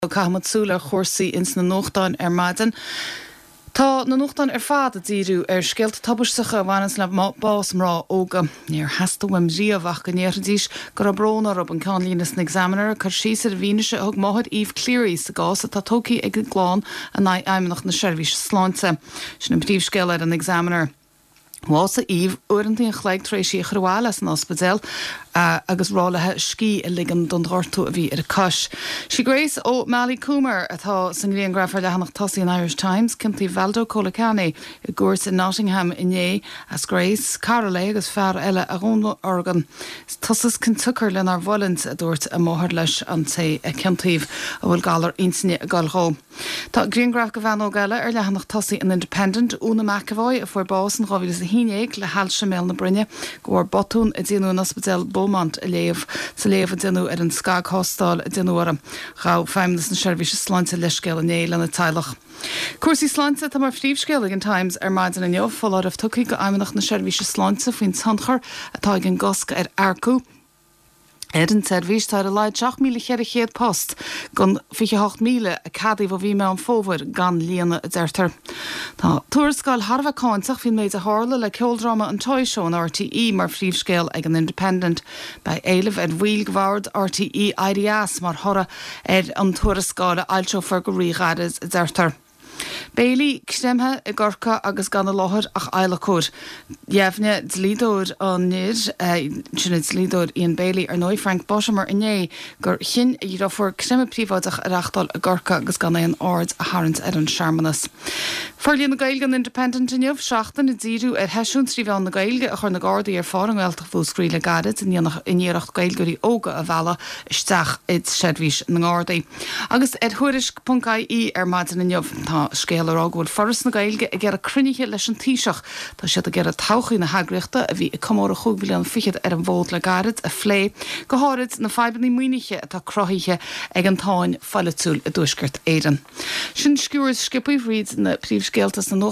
Caithfimid súil ar chúrsaí ins na nuachtáin ar maidin. Tá na nuachtáin ar fad ag díriú ar scéalta tubaisteacha a bhaineanns le bás mná óga. Níor theastaigh uaim riamh ach go ndéarfaidís go raibh brón orthu, an ceannlíne san Examiner ag cur síos ar an bhfianaise a thug máthair Eve Cleary sa gcás atá tógtha ag an gclann in aghaidh Fheidhmeannacht na Seirbhíse Sláinte. Sin an príomhscéal ar an Examiner. Bhásaigh Eve uaireanta an chloig tar éis í a chur abhaile as an ospidéal agus rá léi scíth a ligean don ghortú a bhí ar a cois. Sí Grace O'Malley Coomer atá sa ngrianghraf ar leathanach tosaigh an Irish Times. Ciontaíodh Valdo Calocane i gcúirt i Nottingham inné as Grace, cara léi agus fear eile a dhúnorgain. Is tusa is cionsiocair lenár bhfulaingt, a dúirt a máthair leis an té a ciontaíodh, a bhfuil galar intinne ag goil dhó. Tá grianghraf de bhean óg eile ar leathanach tosaigh an Independent, Úna McEvoy, a fuair bás in 2011 le hailse i mbéal na broinne de bharr botún a déanadh in Ospidéal Beaumont a léamh sa léamh a déanadh ar an scagthástáil a déanadh uirthi. Ghabh Feidhmeannas na Seirbhíse Sláinte leithscéal inné lena teaghlach. Cúrsaí sláinte atá mar phríomhscéal ag an Times ar maidin inniu. Foláireamh tugtha go Fheidhmeannacht na Seirbhíse Sláinte faoin tionchar atá ag an gcosc ar earcú. Ar an tseirbhís, tá ar a laghad 7,400 post den 28,000 a ceadaíodh ó mhí Meán Fómhair gan líonadh, a deirtear. Tá tuarascáil thar a bheith cáinteach faoin méid a tharla le ceoldráma an Toy Show in RTÉ mar phríomhscéal ag an Independent. Beidh éileamh ar bhaill de bhord RTÉ éirí as mar thoradh ar an tuarascáil a fhoilseofar go ríghairid, a deirtear. Béilí creimthe i gCorcaigh agus gan i láthair ach adhlacóir. Dheimhnigh dlíodóir an fhir, sin an dlíodóir Ian Bailey ar ndóigh, Frank Buttimer inné gur chinn a dhriofúr creimeadh príobháideach a reachtáil i gCorcaigh agus gan aon aird a tharraingt ar an searmanas. Forlíonadh Gaeilge an Independent inniu, seachtain ag díriú ar sheisiúin 3 mheán na Gaeilge a chuir na Gardaí ar phár i nGaeltacht Mhúscraí le gairid in iarracht Gaeilgeoirí óga a mhealladh isteach i seirbhís na nGardaí. Agus ar Thuairisc ponc ie ar maidin inniu, tá scéal ag rá go bhfuil Foras na Gaeilge ag iarraidh cruinnithe leis an Taoiseach. Tá siad ag iarraidh todhchaí na heagraíochta, a bhí ag comóradh chúig bhliana fichead ar an bhfód le gairid, a phlé, go háirid na fadhbanna maoinithe atá cruthaithe ag an tsáinn pholaitiúil i dTuaisceart Éireann. Sin sciuird sciobtha thríd na príomhscéalta sna nuachtáin.